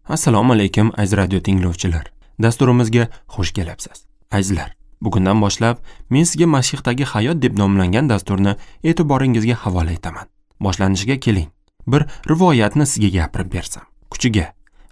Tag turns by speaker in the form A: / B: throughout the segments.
A: Assalomu alaykum aziz radio tinglovchilar. Dasturimizga xush kelibsiz. Azizlar, bugundan boshlab men sizga Masihdagi hayot deb nomlangan dasturni e'tiboringizga havola etaman. Boshlanishiga keling, bir rivoyatni sizga gapirib bersam. Kuchiga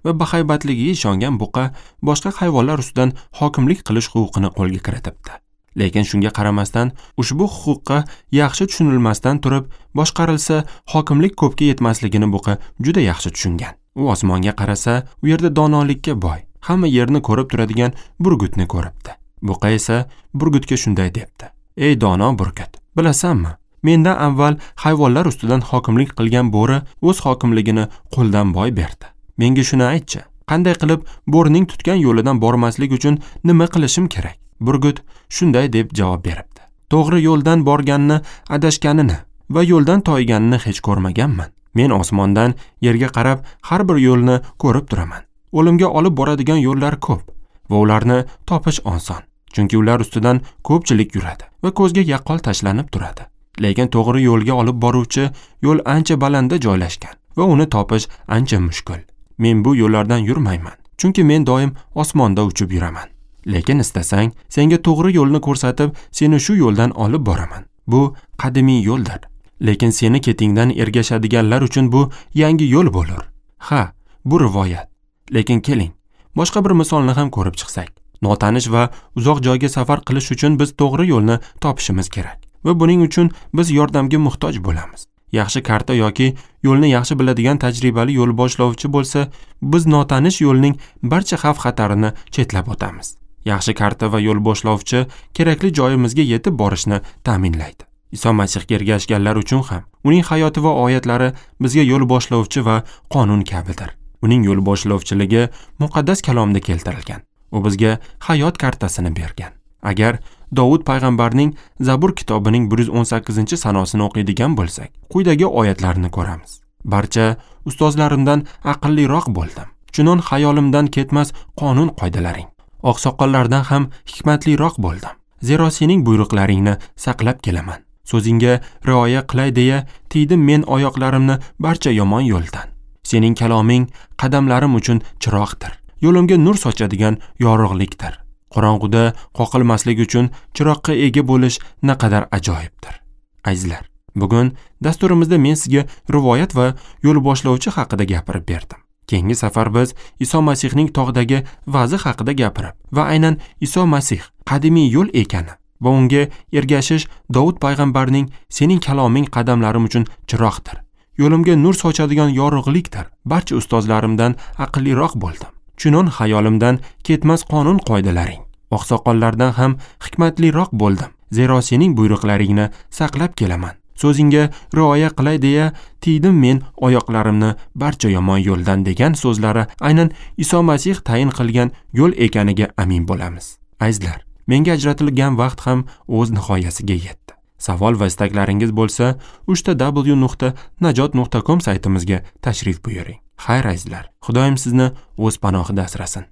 A: va bahaybatligiga ishongan buqa boshqa hayvonlar ustidan hokimlik qilish huquqini qo'lga kiritibdi. Lekin shunga qaramasdan ushbu huquqqa yaxshi tushunilmasdan turib boshqarilsa, hokimlik ko'pga yetmasligini buqa juda yaxshi tushungan. U osmonga qarasa, u yerda donolikka boy, hamma yerni ko'rib turadigan burgutni ko'ribdi. Buqa esa burgutga shunday debdi: "Ey dono burgut, bilasanmi, mendan avval hayvonlar ustidan hokimlik qilgan bo'ri o'z hokimligini qo'ldan boy berdi. Menga shuni aytchi, qanday qilib bo'rining tutgan yo'lidan bormaslik uchun nima qilishim kerak?" Burgut shunday deb javob beribdi: "To'g'ri yo'ldan borganni, adashganini va yo'ldan toyganini hech ko'rmaganman. Men osmondan yerga qarab har bir yo'lni ko'rib turaman. O'limga olib boradigan yo'llar ko'p va ularni topish oson, chunki ular ustidan ko'pchilik yuradi va ko'zga yaqqol tashlanib turadi. Lekin to'g'ri yo'lga olib boruvchi yo'l ancha balandda joylashgan va uni topish ancha mushkul. Men bu yo'llardan yurmayman, chunki men doim osmonda uchib yuraman. Lekin istasang, senga to'g'ri yo'lni ko'rsatib, seni shu yo'ldan olib boraman. Bu qadimiy yo'ldir. Lekin seni ketingdan ergashadiganlar uchun bu yangi yo'l bo'lur." Ha, bu rivoyat. Lekin keling, boshqa bir misolni ham ko'rib chiqsak. Notanish va uzoq joyga safar qilish uchun biz to'g'ri yo'lni topishimiz kerak va buning uchun biz yordamga muhtoj bo'lamiz. Yaxshi karta yoki yo'lni yaxshi biladigan tajribali yo'l boshlovchi bo'lsa, biz notanish yo'lning barcha xavf-xatarini chetlab o'tamiz. Yaxshi karta va yo'l boshlovchi kerakli joyimizga yetib borishni ta'minlaydi. Iso Masihga ergashganlar uchun ham uning hayoti va oyatlari bizga yo'l boshlovchi va qonun kabidir. Uning yo'l boshlovchiligi muqaddas kalomda keltirilgan. U bizga hayot kartasini bergan. Agar Dovud payg'ambarning Zabur kitobining 118-sanosini o'qiydigan bo'lsak, quyidagi oyatlarni ko'ramiz. Barcha ustozlarimdan aqlliroq bo'ldim. Chunon hayolimdan ketmas qonun qoidalaring. Oqsoqollardan ham hikmatliroq bo'ldim. Zero sening buyruqlaringni saqlab kelaman. So'zingga rioya qilay deya tiydim men oyoqlarimni barcha yomon yo'ldan. Sening kaloming qadamlarim uchun chiroqdir. Yo'limga nur sochadigan yorug'likdir. Qorong'uda qoqilmaslik uchun chiroqqa ega bo'lish naqadar ajoyibdir. Azizlar, bugun dasturimizda men sizga rivoyat va yo'l boshlovchi haqida gapirib berdim. Keyingi safar biz Iso Masihning tog'dagi va'zi haqida gapirib va aynan Iso Masih qadimiy yo'l ekani va unga ergashish Dovud payg'ambarning sening kaloming qadamlarim uchun chiroqdir, yo'limga nur sochadigan yorug'likdir. Barcha ustozlarimdan aqlliroq bo'ldim. Chunon hayolimdan ketmas qonun qoidalaring. Oqsoqollardan ham hikmatliroq bo'ldim. Zero sening buyruqlaringni saqlab kelaman. So'zingga rioya qilay deya tiydim men oyoqlarimni barcha yomon yo'ldan degan so'zlari aynan Iso Masih tayin qilgan yo'l ekaniga amin bo'lamiz. Azizlar, menga ajratilgan vaqt ham o'z nihoyasiga yetdi. Savol va istaklaringiz bo'lsa, www.najot.com saytimizga tashrif buyuring. Xayr azizlar, Xudoyim sizni o'z panohida asrasin.